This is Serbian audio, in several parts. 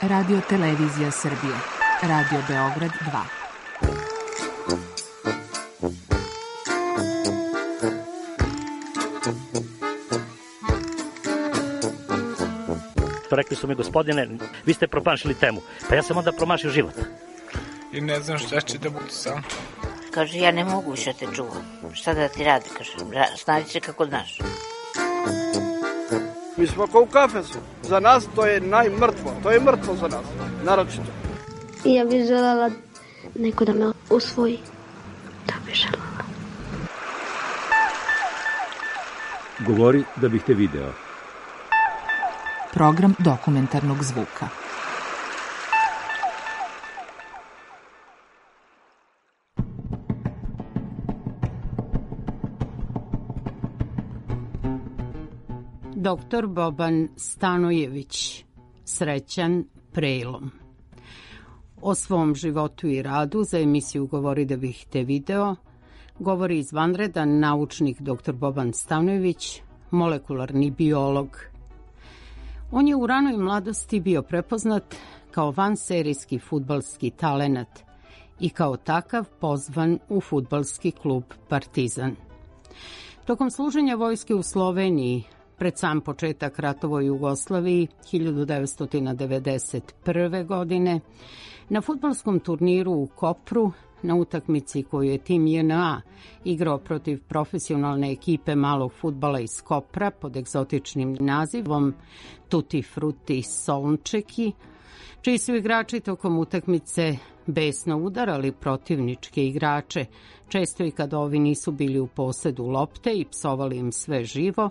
Radio Televizija Srbije. Radio Beograd 2. Rekli su mi, gospodine, vi ste promašili temu. Pa ja sam onda promašio život. I ne znam šta će da budu sam. Kaže, ja ne mogu više te čuvam. Šta da ti radi, kaže, snađi se kako znaš. Mi smo kao u kafesu. Za nas to je najmrtvo. To je mrtvo za nas, naročito. Ja bih želela neko da me usvoji. Da bih želela. Govori da bih te video. Program dokumentarnog zvuka. Doktor Boban Stanojević, srećan prelom. O svom životu i radu za emisiju Govori da bih te video govori izvanredan naučnik dr. Boban Stanojević, molekularni biolog. On je u ranoj mladosti bio prepoznat kao vanserijski fudbalski talenat i kao takav pozvan u fudbalski klub Partizan. Tokom služenja vojske u Sloveniji, pred sam početak ratova u Jugoslaviji 1991. godine, na fudbalskom turniru u Kopru, na utakmici koju je tim JNA igrao protiv profesionalne ekipe malog fudbala iz Kopra pod egzotičnim nazivom Tutti Frutti Solnčeki, čiji su igrači tokom utakmice besno udarali protivničke igrače, često i kad ovi nisu bili u posedu lopte i psovali im sve živo,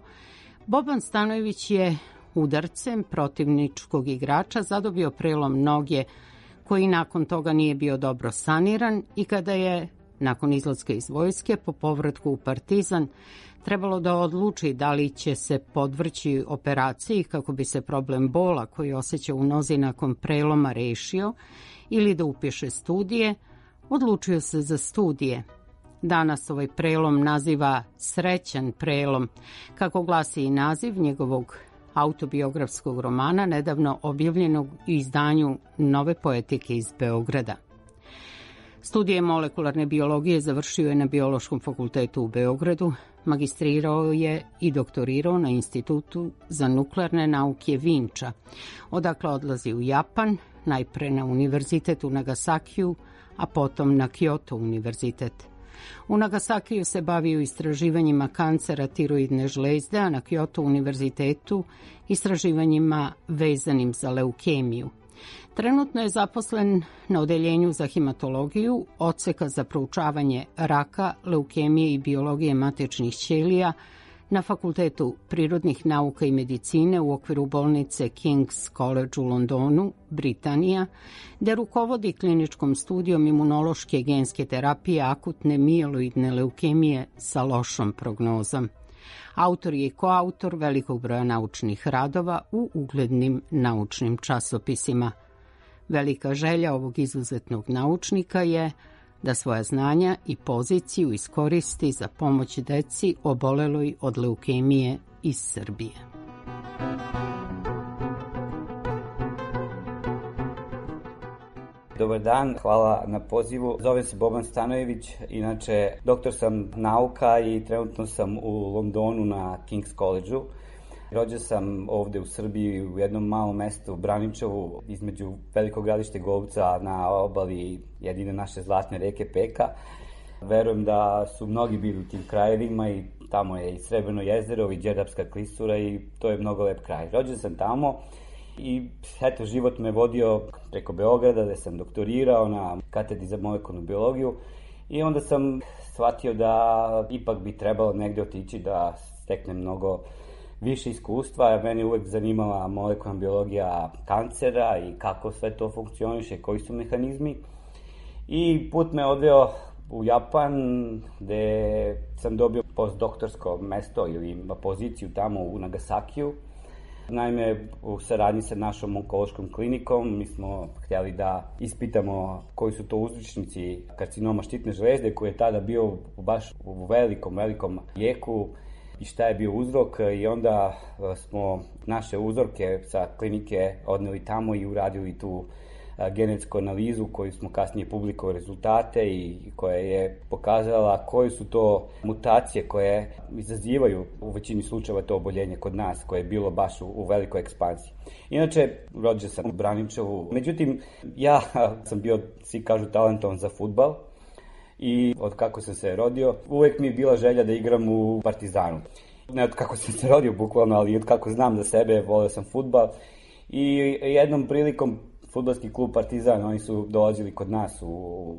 Boban Stanojević je udarcem protivničkog igrača zadobio prelom noge koji nakon toga nije bio dobro saniran i kada je, nakon izlaska iz vojske, po povratku u Partizan, trebalo da odluči da li će se podvrći operaciji kako bi se problem bola koji osjeća u nozi nakon preloma rešio ili da upiše studije, odlučio se za studije. Danas ovaj prelom naziva srećan prelom, kako glasi i naziv njegovog autobiografskog romana, nedavno objavljenog u izdanju Nove poetike iz Beograda. Studije molekularne biologije završio je na Biološkom fakultetu u Beogradu, magistrirao je i doktorirao na Institutu za nuklearne nauke Vinča, odakle odlazi u Japan, najpre na univerzitet u Nagasakiju, a potom na Kyoto univerzitet. U Nagasakiju se bavio istraživanjima kancera tiroidne žlezde, a na Kyoto univerzitetu istraživanjima vezanim za leukemiju. Trenutno je zaposlen na odeljenju za hematologiju, odseka za proučavanje raka, leukemije i biologije matičnih ćelija na Fakultetu prirodnih nauka i medicine u okviru bolnice King's College u Londonu, Britanija, gde rukovodi kliničkom studijom imunološke genske terapije akutne mieloidne leukemije sa lošom prognozom. Autor je i koautor velikog broja naučnih radova u uglednim naučnim časopisima. Velika želja ovog izuzetnog naučnika je da svoja znanja i poziciju iskoristi za pomoć deci oboleloj od leukemije iz Srbije. Dobar dan, hvala na pozivu. Zovem se Boban Stanojević, inače doktor sam nauka i trenutno sam u Londonu na King's College-u. Rođen sam ovde u Srbiji u jednom malom mestu, Braničevu, između Velikog Gradišta i Golubca na obali jedine naše zlatne reke Peka. Verujem da su mnogi bili u tim krajevima i tamo je i Srebreno jezero i Đerdapska klisura i to je mnogo lep kraj. Rođen sam tamo i eto, život me vodio preko Beograda gde sam doktorirao na katedri za molekularnu biologiju i onda sam shvatio da ipak bi trebalo negde otići da steknem mnogo više iskustva. Mene uvek zanimala molekularna biologija kancera i kako sve to funkcioniše, koji su mehanizmi. I put me odveo u Japan, gde sam dobio postdoktorsko mesto ili poziciju tamo u Nagasakiju. Naime, u saradnji sa našom onkološkom klinikom mi smo htjeli da ispitamo koji su to uzročnici karcinoma štitne žlezde, koji je tada bio baš u velikom jeku i šta je bio uzrok, i onda smo naše uzorke sa klinike odneli tamo i uradili tu genetsku analizu koju smo kasnije publikovali rezultate i koja je pokazala koje su to mutacije koje izazivaju u većini slučajeva to oboljenje kod nas, koje je bilo baš u velikoj ekspanziji. Inače, rođen sam u Braničevu, međutim, ja sam bio, svi kažu, talentovan za fudbal i od kako sam se rodio, uvek mi je bila želja da igram u Partizanu. Ne od kako sam se rodio bukvalno, ali od kako znam za sebe, voleo sam fudbal i jednom prilikom fudbalski klub Partizan, oni su dolazili kod nas u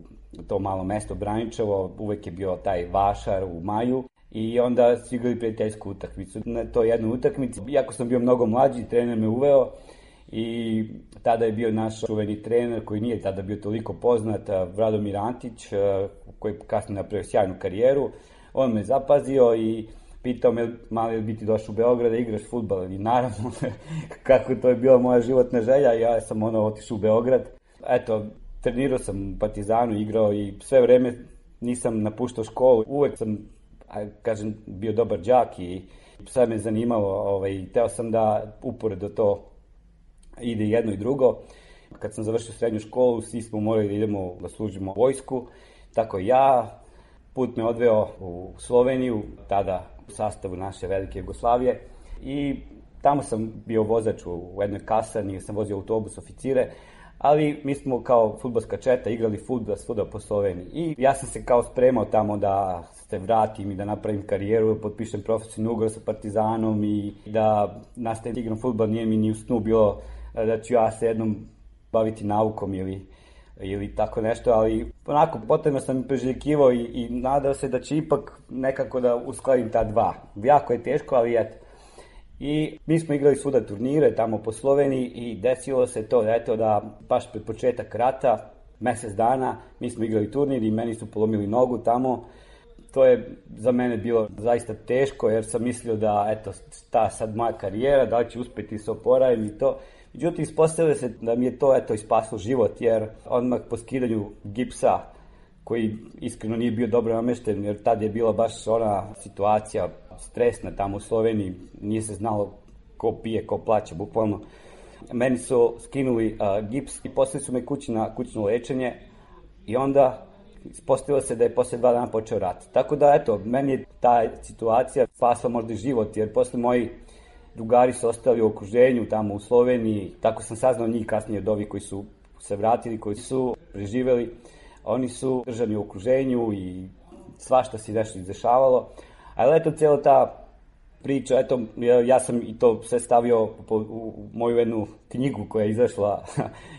to malo mesto Braničevo, uvek je bio taj vašar u maju i onda su igrali prijateljsku utakmicu. Na toj jednoj utakmici, iako sam bio mnogo mlađi, trener me uveo i tada je bio naš čuveni trener koji nije tada bio toliko poznat, Radomir Antić, koji je kasnije napravio sjajnu karijeru. On me zapazio i pitao me, mali bi ti došao u Beograd da igraš fudbal, i naravno, kako to je bila moja životna želja, ja sam otišao u Beograd. Eto, trenirao sam u Partizanu, igrao i sve vreme nisam napuštao školu, uvek sam, kažem, bio dobar đak i sve me zanimalo, teo sam da uporedo to ide jedno i drugo. Kad sam završio srednju školu, svi smo morali da idemo da služimo vojsku, tako i ja. Put me odveo u Sloveniju, tada u sastavu naše velike Jugoslavije, i tamo sam bio vozač u jednoj kasarni, sam vozio autobus oficire, ali mi smo kao fudbalska četa igrali fudbal svuda po Sloveniji. I ja sam se kao spremao tamo da se vratim i da napravim karijeru, potpišem profesionalni ugovor sa Partizanom i da nastavim igram fudbal. Nije mi ni u snu bilo da ću ja se jednom baviti naukom ili tako nešto, ali onako potrebno sam priželjkivao i nadao se da će ipak nekako da uskladim ta dva. Jako je teško, ali eto. I mi smo igrali svuda turnire tamo po Sloveniji i desilo se to da baš pred početak rata, mesec dana, mi smo igrali turnir i meni su polomili nogu tamo. To je za mene bilo zaista teško, jer sam mislio da eto, ta sad moja karijera, da li ću uspeti se oporavim i to. Međutim, ispostavilo se da mi je to ispaslo život, jer odmah po skidanju gipsa, koji iskreno nije bio dobro namešten, jer tad je bila baš ona situacija stresna tamo u Sloveniji, nije se znalo ko pije, ko plaća, bukvalno. Meni su skinuli gips i poslali su me kući na kućno lečenje i onda ispostavilo se da je posle 2 dana počeo rat. Tako da, eto, meni je ta situacija spasla možda i život, jer posle moji drugari su ostali u okruženju tamo u Sloveniji, tako sam saznao njih kasnije od ovih koji su se vratili, koji su preživeli. Oni su držani u okruženju i svašta se nešto izdešavalo. Ali eto, cijela ta priča, eto, ja sam i to sve stavio u moju jednu knjigu koja je izašla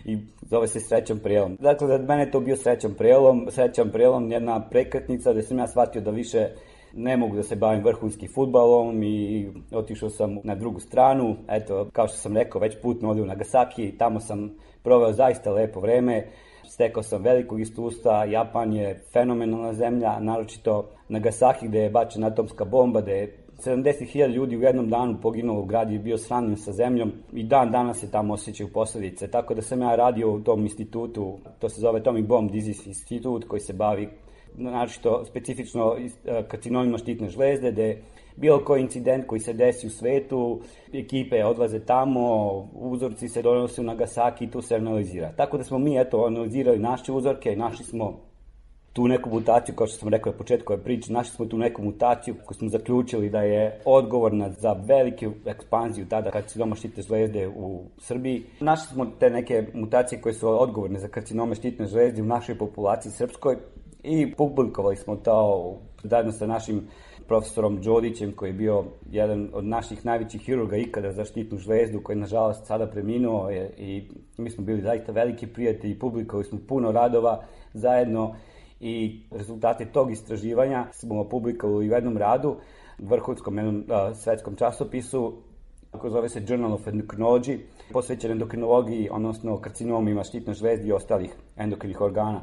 i zove se Srećan prelom. Dakle, za mene je to bio srećan prelom, jedna prekretnica gde sam ja shvatio da više ne mogu da se bavim vrhunskim fudbalom i otišao sam na drugu stranu. Eto, kao što sam rekao, već put me odio u Nagasaki, tamo sam proveo zaista lepo vreme, stekao sam velikog iskustva. Japan je fenomenalna zemlja, naročito Nagasaki gde je bačena atomska bomba, gde je 70.000 ljudi u jednom danu poginulo, grad je bio sravnjen sa zemljom i dan danas se tamo osjećaju posledice. Tako da sam ja radio u tom institutu, to se zove Atomic Bomb Disease Institute, koji se bavi naročito specifično karcinomima štitne žlezde, gde bilo koji incident koji se desi u svetu, ekipe odlaze tamo, uzorci se donose u Nagasaki i tu se analizira. Tako da smo mi analizirali naše uzorke i našli smo tu neku mutaciju, kao što sam rekao na početku ove priče, našli smo tu neku mutaciju koju smo zaključili da je odgovorna za veliku ekspanziju tada karcinoma štitne žlezde u Srbiji. Našli smo te neke mutacije koje su odgovorne za karcinome štitne žlezde u našoj populaciji srpskoj i publikovali smo to zajedno sa našim profesorom Đodićem, koji je bio jedan od naših najvećih hirurga ikada za štitnu žlezdu, koji je nažalost sada preminuo i mi smo bili zaista veliki prijatelji i publikovali smo puno radova zajedno i rezultate tog istraživanja smo publikovali u jednom radu, vrhunskom jednom svetskom časopisu, koji zove se Journal of Endocrinology, posvećen endokrinologiji, odnosno karcinomima štitne žlezde i ostalih endokrinih organa.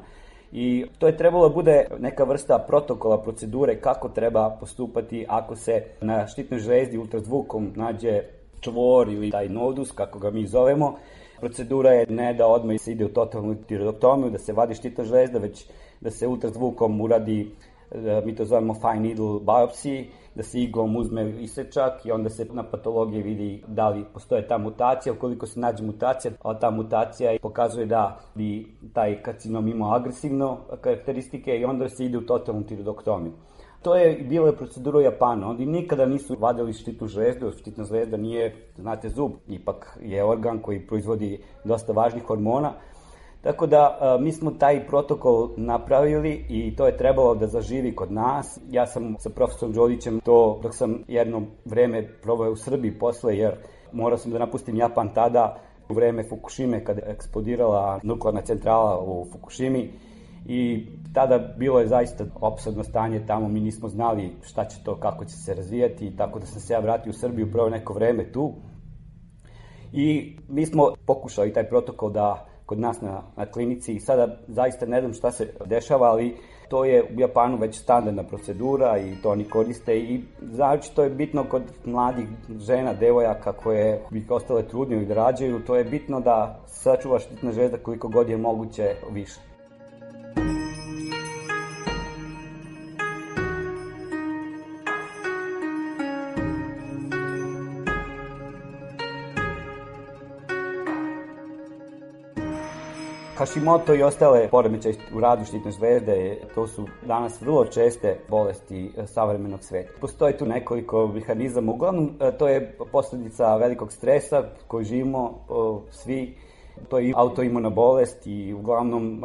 I to je trebalo da bude neka vrsta protokola, procedure kako treba postupati ako se na štitnoj žlezdi ultrazvukom nađe čvor ili taj nodus, kako ga mi zovemo. Procedura je ne da odmah se ide u totalnu tiroidektomiju, da se vadi štitna žlezda, već da se ultrazvukom uradi mi to zovemo fine needle biopsy, da se iglom uzme isečak i onda se na patologiji vidi da li postoje ta mutacija. Ukoliko se nađe mutacija, a ta mutacija pokazuje da bi taj karcinom imao agresivno karakteristike i onda se ide u totalnu tiroidektomiju. To je bila procedura u Japanu. Oni nikada nisu vadili štitnu žlezdu. Štitna žlezda nije, znate, zub. Ipak je organ koji proizvodi dosta važnih hormona. Tako da mi smo taj protokol napravili i to je trebalo da zaživi kod nas. Ja sam sa profesorom Đolićem to, dok sam jedno vreme proveo u Srbiji posle, jer morao sam da napustim Japan tada u vreme Fukushime, kada je eksplodirala nuklearna centrala u Fukushimi. I tada bilo je zaista opsadno stanje tamo, mi nismo znali šta će to, kako će se razvijati, tako da sam se ja vratio u Srbiju, proveo neko vreme tu. I mi smo pokušali taj protokol da kod nas na klinici i sada zaista ne znam šta se dešava, ali to je u Japanu već standardna procedura i to oni koriste i znači to je bitno kod mladih žena, devojaka koje bi ostale trudne ili da rađaju, to je bitno da sačuva štitna žlezda koliko god je moguće više. Hashimoto i ostale poremećaje u radu štitne žlezde, to su danas vrlo česte bolesti savremenog sveta. Postoji tu nekoliko mehanizama, uglavnom to je posljedica velikog stresa koji živimo svi. To je autoimuna bolest i uglavnom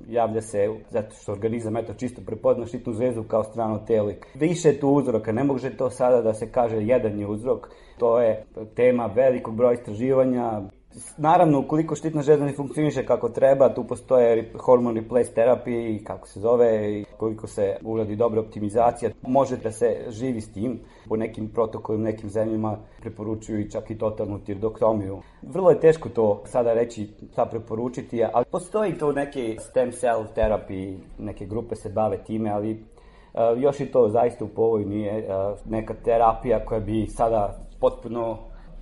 javlja se zato što organizam čisto prepozna štitnu žlezdu kao strano telo. Više je tu uzroka, ne može to sada da se kaže jedan je uzrok. To je tema velikog broja istraživanja. Naravno, ukoliko štitna žlezda ne funkcioniše kako treba, tu postoje hormone replace therapy, kako se zove, i koliko se uradi dobra optimizacija, može da se živi s tim. Po nekim protokolima, nekim zemljama preporučuju i čak i totalnu tiroidektomiju. Vrlo je teško to sada reći, šta preporučiti, ali postoji to neke stem cell therapy, neke grupe se bave time, ali još i to zaista u povoju nije neka terapija koja bi sada potpuno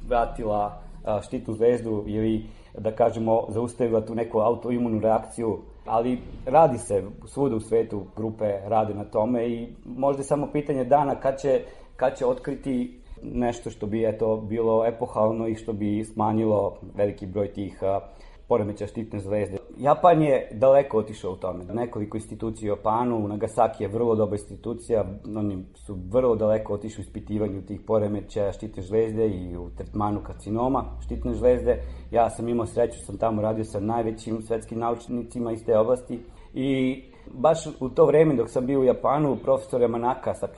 vratila štitnu žlezdu ili, da kažemo, zaustavila tu neku autoimunu reakciju, ali radi se svuda u svetu, grupe rade na tome i možda je samo pitanje dana kad će otkriti nešto što bi bilo epohalno i što bi smanjilo veliki broj tih poremećaja štitne žlezde. Japan je daleko otišao u tome. Nekoliko institucija u Japanu, Nagasaki je vrlo dobra institucija, oni su vrlo daleko otišli u ispitivanju tih poremećaja štitne žlezde i u tretmanu karcinoma štitne žlezde. Ja sam imao sreću, sam tamo radio sa najvećim svetskim naučnicima iz te oblasti i baš u to vreme dok sam bio u Japanu, profesor Yamanaka sa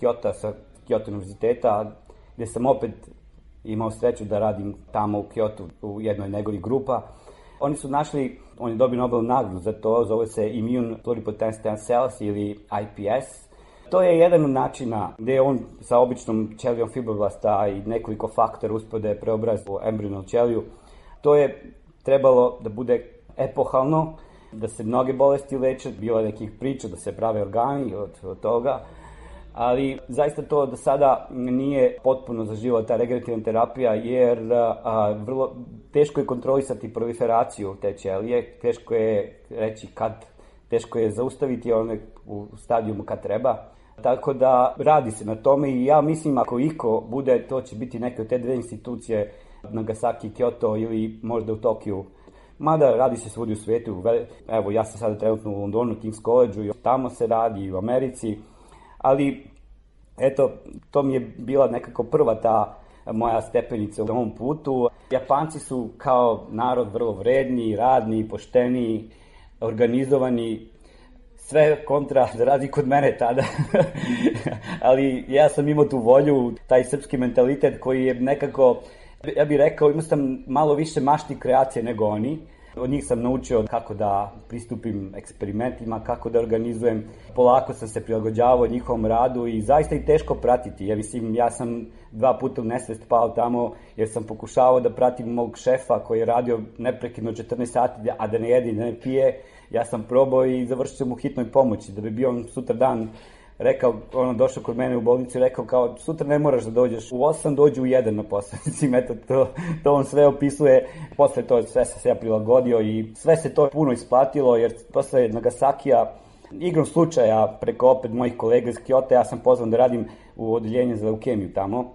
Kyoto univerziteta, gde sam opet imao sreću da radim tamo u Kyotu u jednoj njegovih grupa, oni su našli, on je dobio Nobel nagradu za to, zove se Immune Pluripotent Stem Cells ili IPS. To je jedan od načina gde on sa običnom ćelijom fibroblasta i nekoliko faktora uspeo da je preobraz u embrionalnu ćeliju. To je trebalo da bude epohalno, da se mnoge bolesti leče, bilo je nekih priča da se prave organi od toga, ali zaista to do sada nije potpuno zaživela ta regenerativna terapija, jer vrlo teško je kontrolisati proliferaciju te ćelije, teško je reći kad, teško je zaustaviti one u stadijumu kad treba. Tako da radi se na tome i ja mislim ako iko bude, to će biti neke od te dve institucije, Nagasaki, Kyoto ili možda u Tokiju. Mada radi se svudi u svijetu, evo ja sam sada trenutno u Londonu, King's College, i tamo se radi i u Americi. Ali, eto, to mi je bila nekako prva ta moja stepenica u ovom putu. Japanci su kao narod vrlo vredni, radni, pošteni, organizovani, sve kontra da radi kod mene tada. Ali ja sam imao tu volju, taj srpski mentalitet koji je nekako, ja bih rekao, imao sam malo više mašti kreacije nego oni. Od njih sam naučio kako da pristupim eksperimentima, kako da organizujem. Polako sam se prilagođavao njihovom radu i zaista je teško pratiti. Ja sam 2 puta u nesvest pao tamo jer sam pokušavao da pratim mog šefa koji je radio neprekidno 14 sati, a da ne jede i da ne pije. Ja sam probao i završio sam u hitnoj pomoći da bi bio on sutra dan rekao, došao kod mene u bolnicu i rekao kao sutra ne moraš da dođeš u 8, dođi u 1 na posao. To on sve opisuje, posle to sve sam se ja prilagodio i sve se to puno isplatilo jer posle Nagasakija Igrom slučaja, preko opet mojih kolega iz Kyota, ja sam pozvan da radim u odeljenju za leukemiju tamo.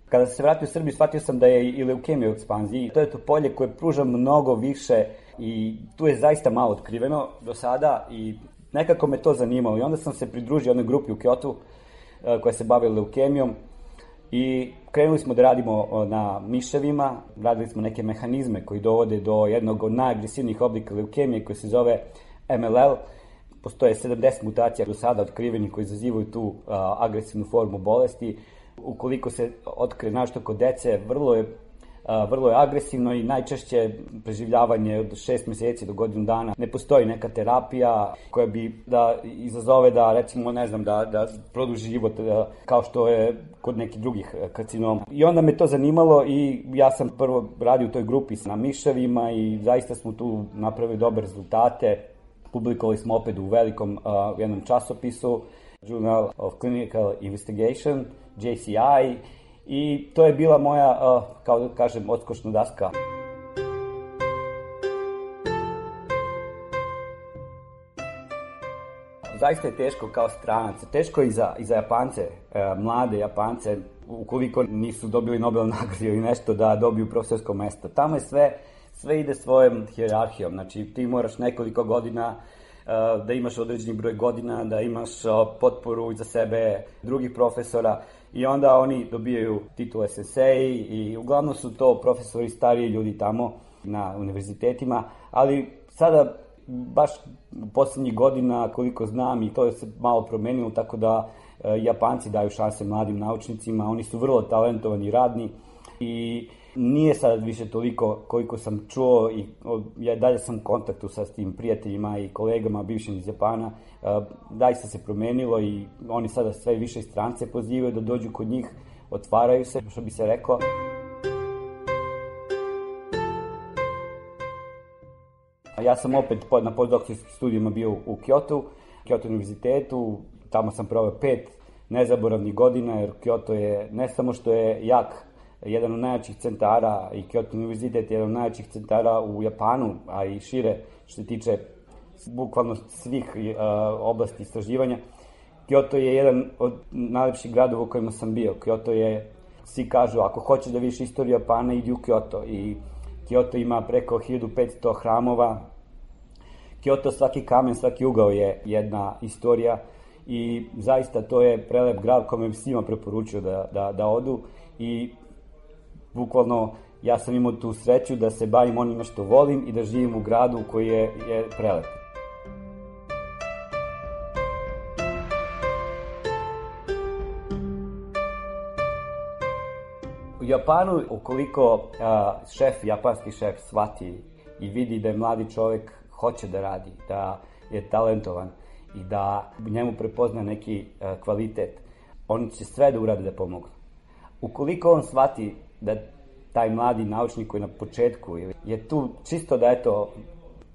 Kada sam se vratio u Srbiju, shvatio sam da je i leukemija u ekspanziji. To je to polje koje pruža mnogo više i tu je zaista malo otkriveno do sada i nekako me to zanimalo. I onda sam se pridružio jednoj grupi u Kyotu koja se bavila leukemijom i krenuli smo da radimo na miševima, radili smo neke mehanizme koji dovode do jednog od najagresivnijih oblika leukemije koji se zove MLL. Postoje 70 mutacija do sada otkrivenih koji izazivaju tu agresivnu formu bolesti. Ukoliko se otkrije nešto kod dece, vrlo je agresivno i najčešće preživljavanje od 6 meseci do godinu dana. Ne postoji neka terapija koja bi da izazove da, recimo, ne znam, da produži život kao što je kod nekih drugih karcinoma. I onda me to zanimalo i ja sam prvo radio u toj grupi na miševima i zaista smo tu napravili dobre rezultate. Publikovali smo opet u velikom jednom časopisu, Journal of Clinical Investigation, JCI, i to je bila moja, kao da kažem, odskočna daska. Zaista je teško kao stranac, teško i za Japance, mlade Japance, ukoliko nisu dobili Nobel nagradu ili nešto, da dobiju profesorsko mesto. Tamo je sve ide svojom hijerarhijom, znači ti moraš nekoliko godina da imaš određeni broj godina, da imaš potporu iza sebe drugih profesora i onda oni dobijaju titul SSA i uglavnom su to profesori, stariji ljudi tamo na univerzitetima, ali sada baš poslednjih godina, koliko znam, i to je se malo promenilo, tako da Japanci daju šanse mladim naučnicima, oni su vrlo talentovani i radni i nije sad više toliko koliko sam čuo i ja dalje sam u kontaktu sa tim prijateljima i kolegama bivšim iz Japana, zaista se promenilo i oni sada sve više strance pozivaju da dođu kod njih, otvaraju se, što bi se reklo. Ja sam opet na postdoktorskim studijima bio u Kyoto univerzitetu, tamo sam proveo 5 nezaboravnih godina, jer Kyoto je ne samo što je jedan od najjačih centara i Kyoto univerzitet je jedan od najjačih centara u Japanu, a i šire što se tiče bukvalno svih oblasti istraživanja. Kyoto je jedan od najlepših gradova u kojima sam bio. Kyoto je, svi kažu, ako hoćeš da vidiš istoriju Japana, idi u Kyoto. I Kyoto ima preko 1500 hramova. Kyoto, svaki kamen, svaki ugao je jedna istorija i zaista to je prelep grad kome bi svima preporučio da odu i bukvalno ja sam imao tu sreću da se bavim onime što volim i da živim u gradu koji je prelep. U Japanu, ukoliko japanski šef shvati i vidi da je mladi čovjek hoće da radi, da je talentovan i da njemu prepozna neki kvalitet, oni će sve da urade da pomognu. Ukoliko on shvati da taj mladi naučnik koji na početku je tu čisto da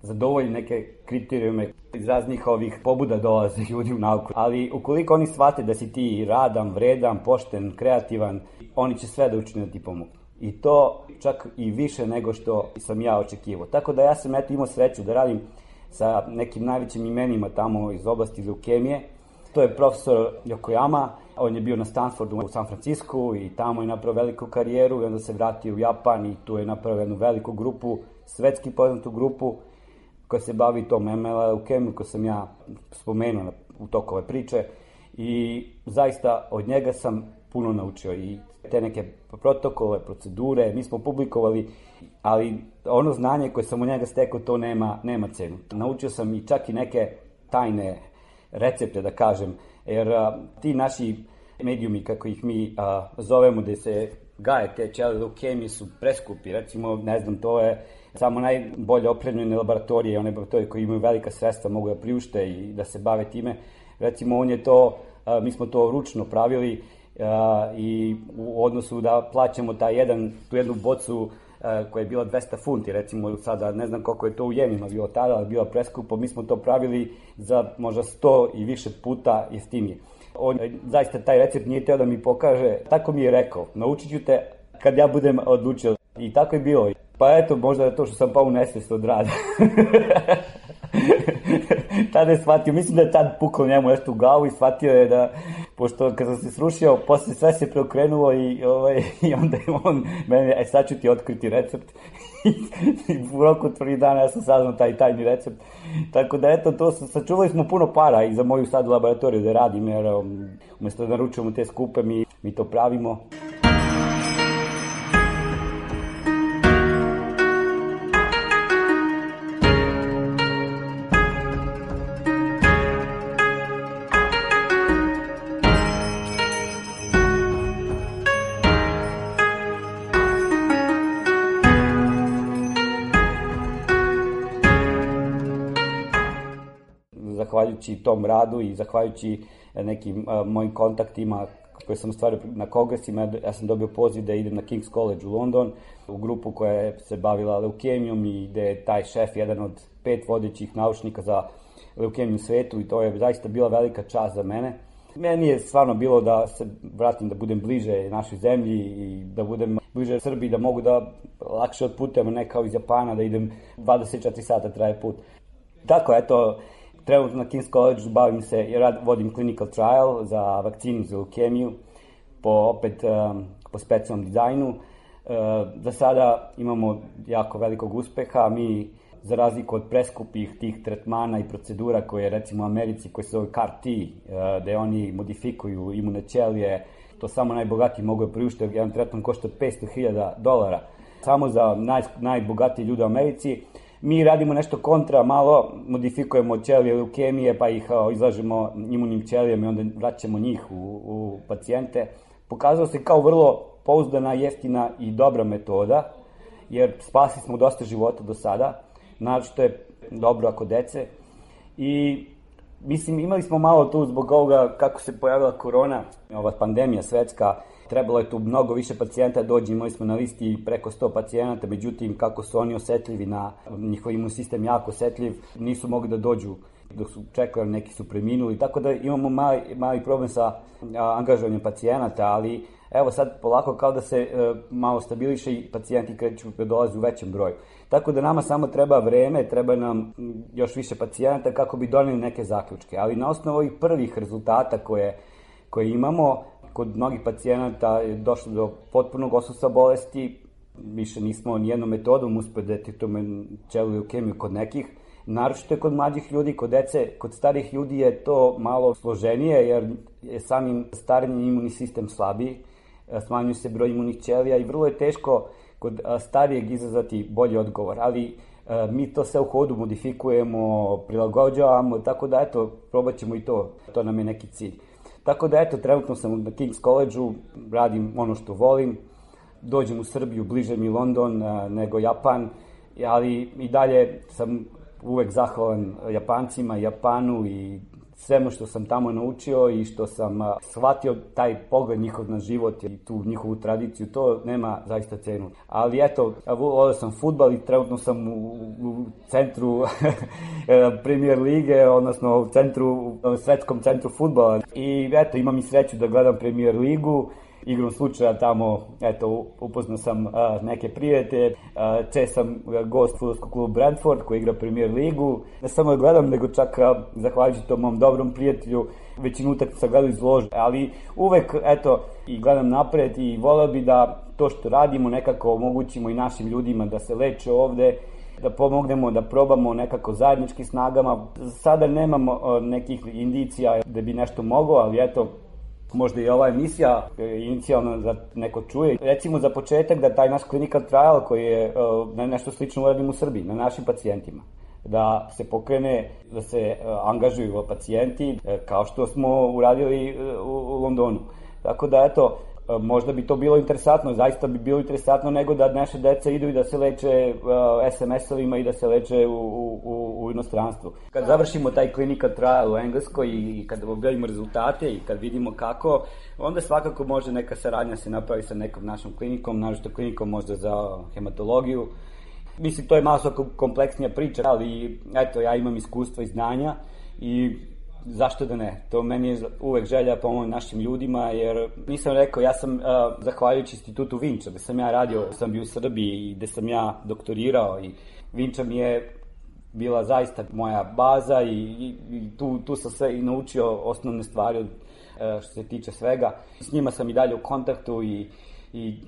zadovolji neke kriterijume, iz raznih ovih pobuda dolaze ljudi u nauku, ali ukoliko oni shvate da si ti radan, vredan, pošten, kreativan, oni će sve da učine da ti pomognu. I to čak i više nego što sam ja očekivao. Tako da ja sam imao sreću da radim sa nekim najvećim imenima tamo iz oblasti leukemije. To je profesor Yokoyama, on je bio na Stanfordu u San Francisku i tamo je napravio veliku karijeru i onda se vratio u Japan i tu je napravio jednu veliku grupu, svetski poznatu grupu koja se bavi tom MLL leukemiju koju sam ja spomenuo u toku ove priče i zaista od njega sam puno naučio i te neke protokole, procedure, mi smo publikovali, ali ono znanje koje sam od njega stekao to nema cenu. Naučio sam i čak i neke tajne recepte, da kažem, jer ti naši medijumi, kako ih mi zovemo, gde se gaje te ćelije leukemije, su preskupi. Recimo, ne znam, to je samo najbolje opremljene laboratorije, one laboratorije koji imaju velika sredstva, mogu da priušte i da se bave time. Recimo, mi smo to ručno pravili i u odnosu da plaćamo tu jednu bocu koja je bila 200 funti, recimo sada ne znam koliko je to u jenima bilo tada, ali bilo preskupo, mi smo to pravili za možda 100 i više puta jeftinije. On zaista taj recept nije teo da mi pokaže, tako mi je rekao, naučit ću te kad ja budem odlučio. I tako je bilo. Pa eto, možda je to što sam pao u nesvijest od rada. tada je shvatio, mislim da je tad pukao njemu nešto u glavu i shvatio je da, pošto kada sam se srušio, posle sve se preokrenulo i onda je on mene, sad ću ti otkriti recept. I u roku 3 dana ja sam saznao taj tajni recept. Tako da eto, to sačuvali smo puno para i za moju sad laboratoriju da radim, jer umjesto da naručujemo te skupe, mi to pravimo. Zahvaljujući tom radu i zahvaljujući nekim mojim kontaktima koje sam stvario na kongresima, ja sam dobio poziv da idem na King's College u London, u grupu koja je se bavila leukemijom i gde je taj šef jedan od 5 vodećih naučnika za leukemiju u svetu i to je zaista bila velika čast za mene. Meni je stvarno bilo da se vratim, da budem bliže našoj zemlji i da budem bliže Srbiji, da mogu da lakše otputujem, ne kao iz Japana, da idem 24 sata traje put. Tako, eto, trenutno na King's College bavim se i vodim clinical trial za vakcinu za leukemiju po specijalnom dizajnu. Za sada imamo jako velikog uspeha. Mi, za razliku od preskupih tih tretmana i procedura koje recimo u Americi, koje se zove CAR-T, gde oni modifikuju imune ćelije, to samo najbogatiji mogu da priušte, jedan tretman košta $500,000. Samo za najbogatiji ljude u Americi. Mi radimo nešto kontra, malo modifikujemo ćelije leukemije, pa ih izlažemo imunim ćelijama i onda vraćamo njih u pacijente. Pokazalo se kao vrlo pouzdana, jeftina i dobra metoda, jer spasili smo dosta života do sada, naročito je dobro ako dece. I mislim, imali smo malo tu zbog ovoga kako se pojavila korona, ova pandemija svetska, trebalo je tu mnogo više pacijenta dođe, imali smo na listi preko 100 pacijenata, međutim kako su oni osetljivi na njihov imun sistem jako osetljiv, nisu mogli da dođu dok su čekali, neki su preminuli, tako da imamo mali problem sa angažovanjem pacijenata, ali evo sad polako kao da se malo stabiliše i pacijenti kreću da dolaze u većem broju. Tako da nama samo treba vreme, treba nam još više pacijenata kako bi doneli neke zaključke, ali na osnovu ovih prvih rezultata koje imamo, kod mnogih pacijenata je došlo do potpunog odsustva bolesti, više nismo nijednom metodom uspeli da detektujemo ćeliju leukemiju kod nekih, naročito je kod mlađih ljudi, kod dece, kod starih ljudi je to malo složenije jer je samim starenjem imunni sistem slabiji, smanjuje se broj imunih ćelija i vrlo je teško kod starijeg izazvati bolji odgovor, ali mi to sve u hodu modifikujemo, prilagođavamo, tako da eto, probat ćemo i to nam je neki cilj. Tako da eto, trenutno sam na King's College-u, radim ono što volim, dođem u Srbiju, bliže mi London nego Japan, ali i dalje sam uvek zahvalan Japancima, Japanu i svemu što sam tamo naučio i što sam shvatio taj pogled njihov na život i tu njihovu tradiciju, to nema zaista cenu. Ali eto, volio sam fudbal i trenutno sam u centru Premier lige, odnosno u svetskom centru fudbala. I eto, imam i sreću da gledam Premier ligu. Igrom slučaja tamo, eto, upoznao sam neke prijatelje, čest sam gost fudbalskog kluba Brentford koji igra Premier ligu. Ne samo da gledam, nego čak zahvaljujući tom mom dobrom prijatelju, većinu utakmica gledam iz lože, ali uvek, eto, i gledam napred i voleo bi da to što radimo nekako omogućimo i našim ljudima da se leče ovde, da pomognemo, da probamo nekako zajedničkim snagama. Sada nemamo nekih indicija da bi nešto moglo, ali eto, možda i ova emisija inicijalno da neko čuje. Recimo za početak da taj naš clinical trial koji je nešto slično uradim u Srbiji, na našim pacijentima. Da se pokrene, da se angažuju pacijenti kao što smo uradili u Londonu. Tako da eto, možda bi to bilo interesantno, zaista bi bilo interesantno nego da naše deca idu i da se leče SMS-ovima i da se leče u inostranstvu. Kad završimo taj clinical trial u Engleskoj i kad objavimo rezultate i kad vidimo kako, onda svakako može neka saradnja se napravi sa nekom našom klinikom, naročito klinikom možda za hematologiju. Mislim, to je malo kompleksnija priča, ali eto, ja imam iskustva i znanja i zašto da ne? To meni je uvek želja pomoći našim ljudima, jer nisam rekao, ja sam zahvaljujući institutu Vinča, gde sam ja radio, sam bio u Srbiji i gde sam ja doktorirao i Vinča mi je bila zaista moja baza i tu sam sve i naučio osnovne stvari što se tiče svega. S njima sam i dalje u kontaktu i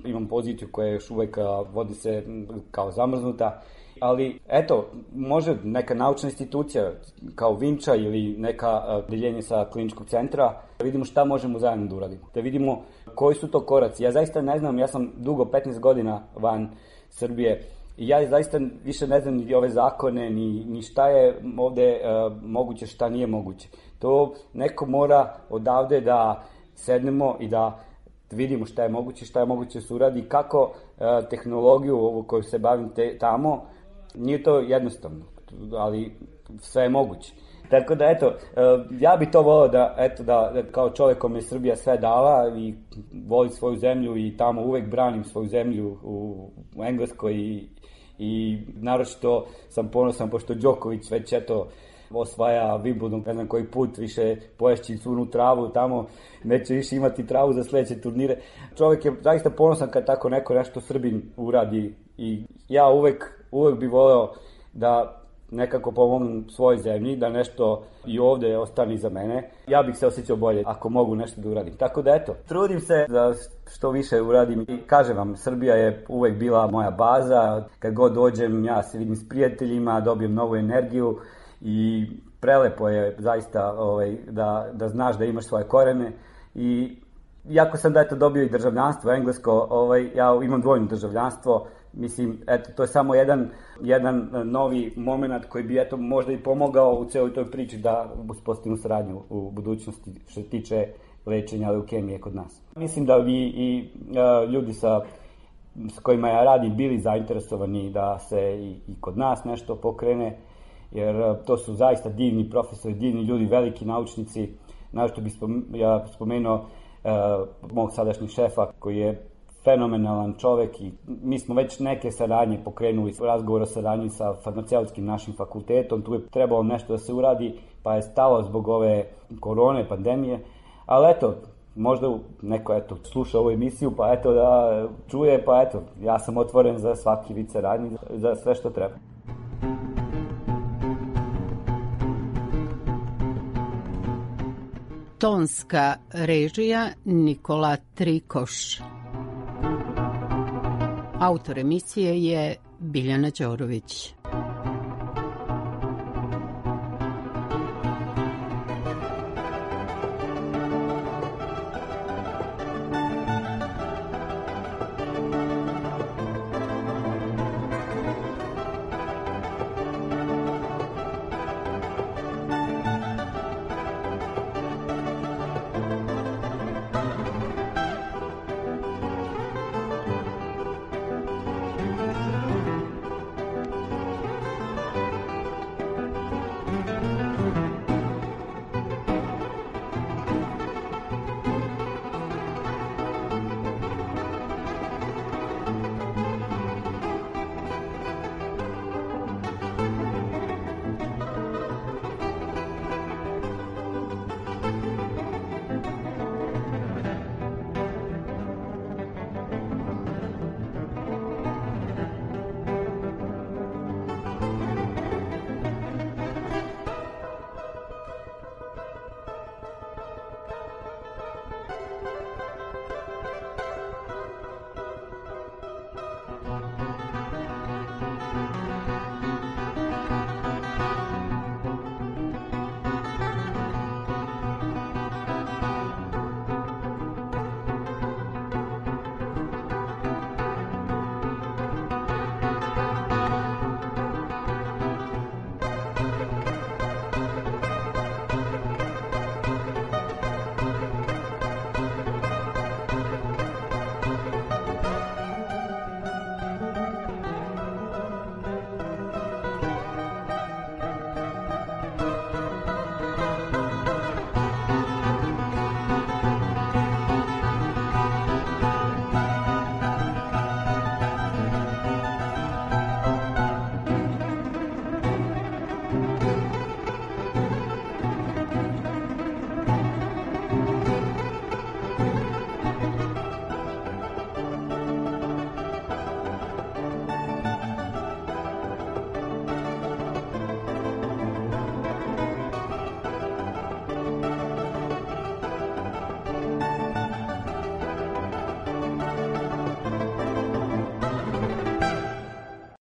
imam poziciju koja još uvek vodi se kao zamrznuta. Ali, eto, može neka naučna institucija kao Vinča ili neka deljenje sa kliničkog centra, da vidimo šta možemo zajedno da uradimo. Da vidimo koji su to koraci. Ja zaista ne znam, ja sam dugo 15 godina van Srbije i ja zaista više ne znam ni ove zakone, ni šta je ovde moguće, šta nije moguće. To neko mora odavde da sednemo i da vidimo šta je moguće se uradi, kako tehnologiju ovu koju se bavim tamo, nije to jednostavno, ali sve je moguće. Tako da, eto, ja bi to volao da kao čovjek kome je Srbija sve dala i voli svoju zemlju i tamo uvek branim svoju zemlju u Engleskoj i naročito sam ponosan pošto Đoković već eto osvaja Wimbledon, ne znam koji put, više poješći sunu travu tamo, neće više imati travu za sledeće turnire. Čovjek je zaista ponosan kad tako neko nešto Srbin uradi i ja uvek bi voleo da nekako pomognem svojoj zemlji, da nešto i ovde ostane iza mene. Ja bih se osjećao bolje ako mogu nešto da uradim. Tako da eto, trudim se da što više uradim i kažem vam, Srbija je uvek bila moja baza. Kad god dođem, ja se vidim s prijateljima, dobijem novu energiju i prelepo je zaista da znaš da imaš svoje korene i iako sam dobio i državljanstvo englesko, ja imam dvojno državljanstvo. Mislim, eto, to je samo jedan novi moment koji bi, eto, možda i pomogao u celoj toj priči da uspostavimo saradnju u budućnosti što se tiče lečenja leukemije kod nas. Mislim da bi i ljudi s kojima ja radim bili zainteresovani da se i kod nas nešto pokrene, jer to su zaista divni profesori, divni ljudi, veliki naučnici. Našto bih ja spomenuo mog sadašnjeg šefa koji je fenomenalan čovek i mi smo već neke saradnje pokrenuli, razgovor o saradnji sa farmaceutskim našim fakultetom, tu je trebalo nešto da se uradi, pa je stalo zbog ove korone, pandemije, ali eto, možda neko sluša ovu emisiju, pa eto da čuje, pa eto, ja sam otvoren za svaki vid saradnje, za sve što treba. Tonska režija Nikola Trikoš. Autor emisije je Biljana Đorović.